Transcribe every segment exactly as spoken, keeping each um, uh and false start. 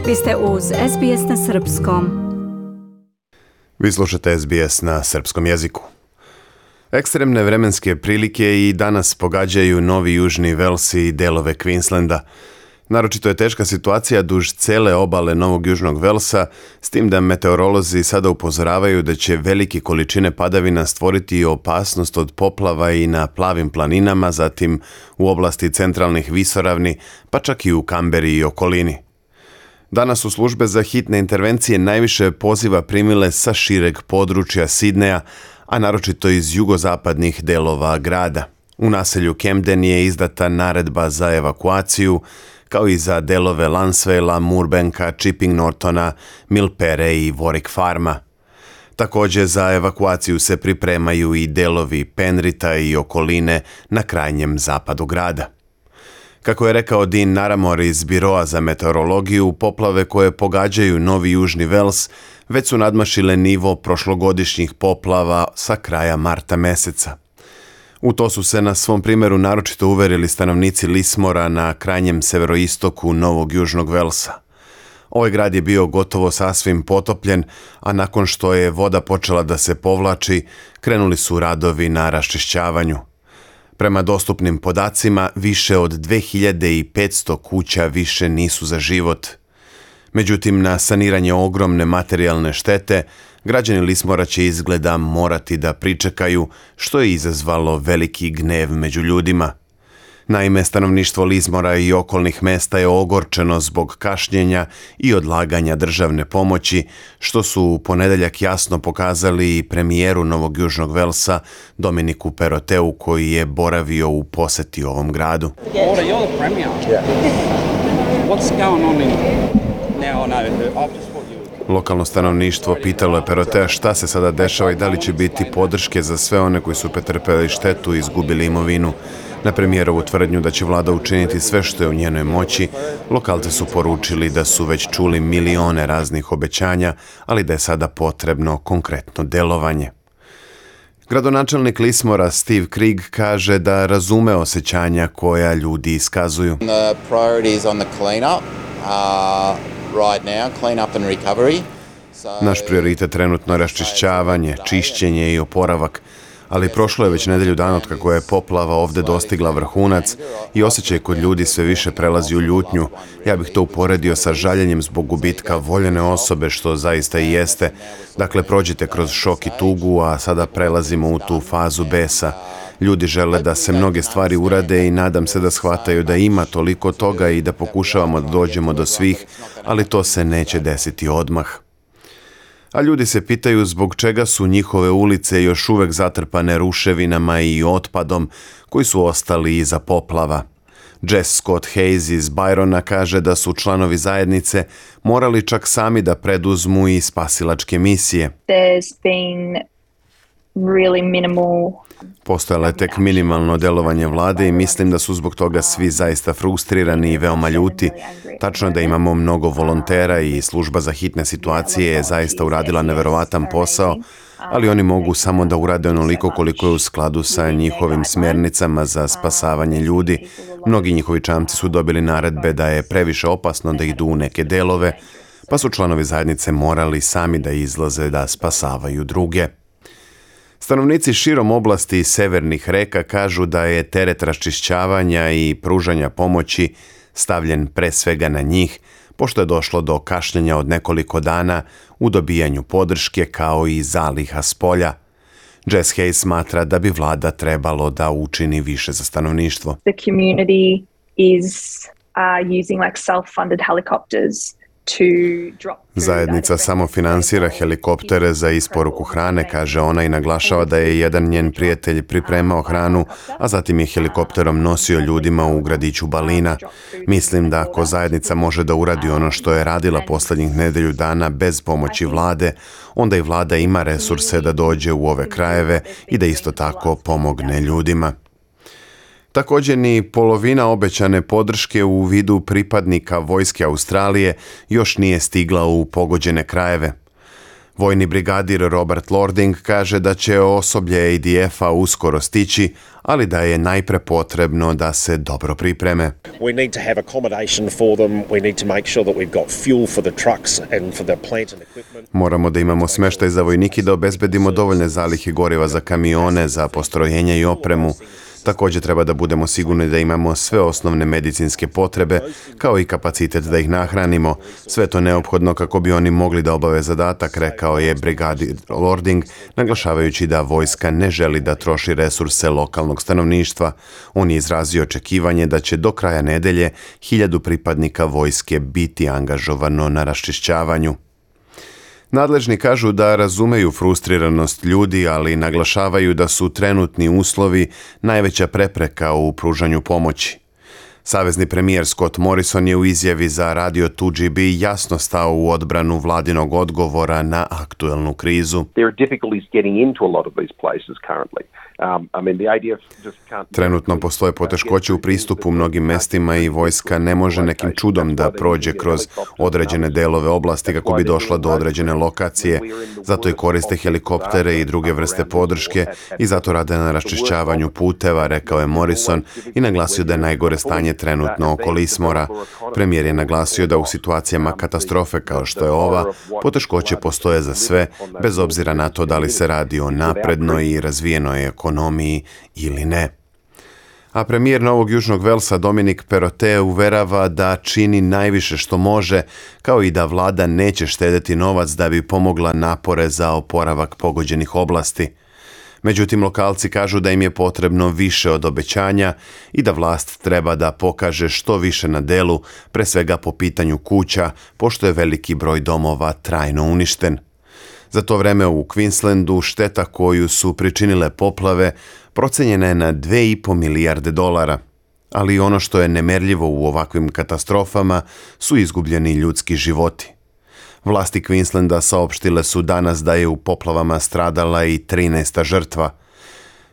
Vi ste uz S B S na srpskom. Vi slušate S B S na srpskom jeziku. Ekstremne vremenske prilike i danas pogađaju Novi Južni Vels i delove Queenslanda. Naročito je teška situacija duž cele obale Novog Južnog Velsa, s tim da meteorolozi sada upozoravaju da će velike količine padavina stvoriti opasnost od poplava i na plavim planinama, zatim u oblasti centralnih visoravni, pa čak i u Kamberi i okolini. Danas su službe za hitne intervencije najviše poziva primile sa šireg područja Sidneja, a naročito iz jugozapadnih delova grada. U naselju Camden je izdata naredba za evakuaciju, kao i za delove Lansvejla, Moorbanka, Chipping Nortona, Milpere i Warwick Farma. Također za evakuaciju se pripremaju i delovi Penrita i okoline na krajnjem zapadu grada. Kako je rekao Dean Naramore iz Biroa za meteorologiju, poplave koje pogađaju Novi Južni Vels već su nadmašile nivo prošlogodišnjih poplava sa kraja marta meseca. U to su se na svom primjeru naročito uverili stanovnici Lismora na krajnjem severoistoku Novog Južnog Velsa. Ovaj grad je bio gotovo sasvim potopljen, a nakon što je voda počela da se povlači, krenuli su radovi na raščišćavanju. Prema dostupnim podacima, više od dve hiljade petsto kuća više nisu za život. Međutim, na saniranje ogromne materijalne štete, građani Lismora će izgleda morati da pričekaju, što je izazvalo veliki gnev među ljudima. Naime, stanovništvo Lismora i okolnih mesta je ogorčeno zbog kašnjenja i odlaganja državne pomoći, što su u ponedeljak jasno pokazali i premijeru Novog Južnog Velsa Dominiku Perrotteu, koji je boravio u poseti ovom gradu. Lokalno stanovništvo pitalo je Perrottea šta se sada dešava i da li će biti podrške za sve one koji su pretrpeli štetu i izgubili imovinu. Na premijerovu tvrdnju da će vlada učiniti sve što je u njenoj moći, lokalci su poručili da su već čuli milione raznih obećanja, ali da je sada potrebno konkretno delovanje. Gradonačelnik Lismora Steve Krieg kaže da razume osjećanja koja ljudi iskazuju. The priorities on the clean-up are right now, clean-up and recovery. Naš prioritet trenutno je raščišćavanje, čišćenje i oporavak, ali prošlo je već nedelju dana od kako je poplava ovdje dostigla vrhunac i osjećaj kod ljudi sve više prelazi u ljutnju. Ja bih to uporedio sa žaljenjem zbog gubitka voljene osobe, što zaista i jeste. Dakle, prođite kroz šok i tugu, a sada prelazimo u tu fazu besa. Ljudi žele da se mnoge stvari urade i nadam se da shvataju da ima toliko toga i da pokušavamo da dođemo do svih, ali to se neće desiti odmah. A ljudi se pitaju zbog čega su njihove ulice još uvek zatrpane ruševinama i otpadom koji su ostali iza poplava. Jess Scott Hayes iz Byrona kaže da su članovi zajednice morali čak sami da preduzmu i spasilačke misije. There's been really minimal Postojalo je tek minimalno delovanje vlade i mislim da su zbog toga svi zaista frustrirani i veoma ljuti. Tačno je da imamo mnogo volontera i služba za hitne situacije je zaista uradila neverovatan posao, ali oni mogu samo da urade onoliko koliko je u skladu sa njihovim smjernicama za spasavanje ljudi. Mnogi njihovi čamci su dobili naredbe da je previše opasno da idu u neke delove, pa su članovi zajednice morali sami da izlaze da spasavaju druge. Stanovnici širom oblasti severnih reka kažu da je teret raščišćavanja i pružanja pomoći stavljen pre svega na njih, pošto je došlo do kašnjenja od nekoliko dana u dobijanju podrške kao i zaliha s polja. Jess Hayes smatra da bi vlada trebalo da učini više za stanovništvo. the community is uh, using like self-funded helicopters to drop food Zajednica out of samo finansira helikoptere za isporuku hrane, kaže ona, i naglašava da je jedan njen prijatelj pripremao hranu, a zatim je helikopterom nosio ljudima u gradiću Balina. Mislim da ako zajednica može da uradi ono što je radila posljednjih nedelju dana bez pomoći vlade, onda i vlada ima resurse da dođe u ove krajeve i da isto tako pomogne ljudima. Također ni polovina obećane podrške u vidu pripadnika vojske Australije još nije stigla u pogođene krajeve. Vojni brigadir Robert Lording kaže da će osoblje A D F-a uskoro stići, ali da je najpre potrebno da se dobro pripreme. We need to have accommodation for them. We need to make sure that we've got fuel for the trucks and for the plant and equipment. Moramo da imamo smeštaj za vojnike i da obezbedimo dovoljne zalihe goriva za kamione, za postrojenja i opremu. Također treba da budemo sigurni da imamo sve osnovne medicinske potrebe, kao i kapacitet da ih nahranimo. Sve to neophodno kako bi oni mogli da obave zadatak, rekao je brigadir Lording, naglašavajući da vojska ne želi da troši resurse lokalnog stanovništva. On je izrazio očekivanje da će do kraja nedelje hiljadu pripadnika vojske biti angažovano na raščišćavanju. Nadležni kažu da razumeju frustriranost ljudi, ali naglašavaju da su trenutni uslovi najveća prepreka u pružanju pomoći. Savezni premijer Scott Morrison je u izjavi za radio two G B jasno stao u odbranu vladinog odgovora na aktuelnu krizu. Trenutno postoje poteškoće u pristupu mnogim mestima i vojska ne može nekim čudom da prođe kroz određene delove oblasti kako bi došla do određene lokacije. Zato i koriste helikoptere i druge vrste podrške i zato rade na raščišćavanju puteva, rekao je Morrison i naglasio da je najgore stanje trenutno oko Lismora. Premijer je naglasio da u situacijama katastrofe kao što je ova, poteškoće postoje za sve, bez obzira na to da li se radi o naprednoj i razvijenoj ekonomiji ili ne. A premijer Novog Južnog Velsa Dominic Perrottet uverava da čini najviše što može, kao i da vlada neće štedeti novac da bi pomogla napore za oporavak pogođenih oblasti. Međutim, lokalci kažu da im je potrebno više od obećanja i da vlast treba da pokaže što više na delu, pre svega po pitanju kuća, pošto je veliki broj domova trajno uništen. Za to vreme u Queenslandu šteta koju su pričinile poplave procenjena je na dve i po milijarde dolara. Ali ono što je nemerljivo u ovakvim katastrofama su izgubljeni ljudski životi. Vlasti Queenslanda saopštile su danas da je u poplavama stradala i trinaesta žrtva.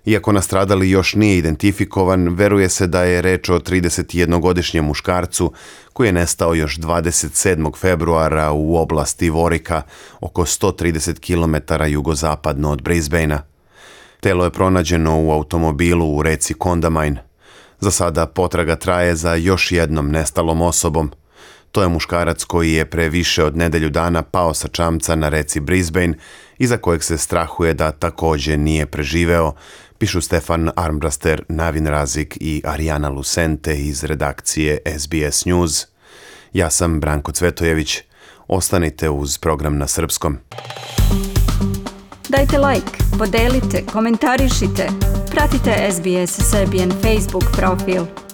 Iako nastradali još nije identifikovan, veruje se da je reč o tridesetjednogodišnjem muškarcu koji je nestao još dvadeset sedmog februara u oblasti Vorika, oko sto trideset kilometara jugozapadno od Brisbanea. Telo je pronađeno u automobilu u reci Condamine. Za sada potraga traje za još jednom nestalom osobom. To je muškarac koji je pre više od nedelju dana pao sa čamca na reci Brisbane i za kojeg se strahuje da također nije preživeo, pišu Stefan Armbraster, Navin Razik i Arijana Lucente iz redakcije S B S News. Ja sam Branko Cvetojević. Ostanite uz program na srpskom. Dajte like, podelite, komentarišite. Pratite S B S Serbian Facebook profil.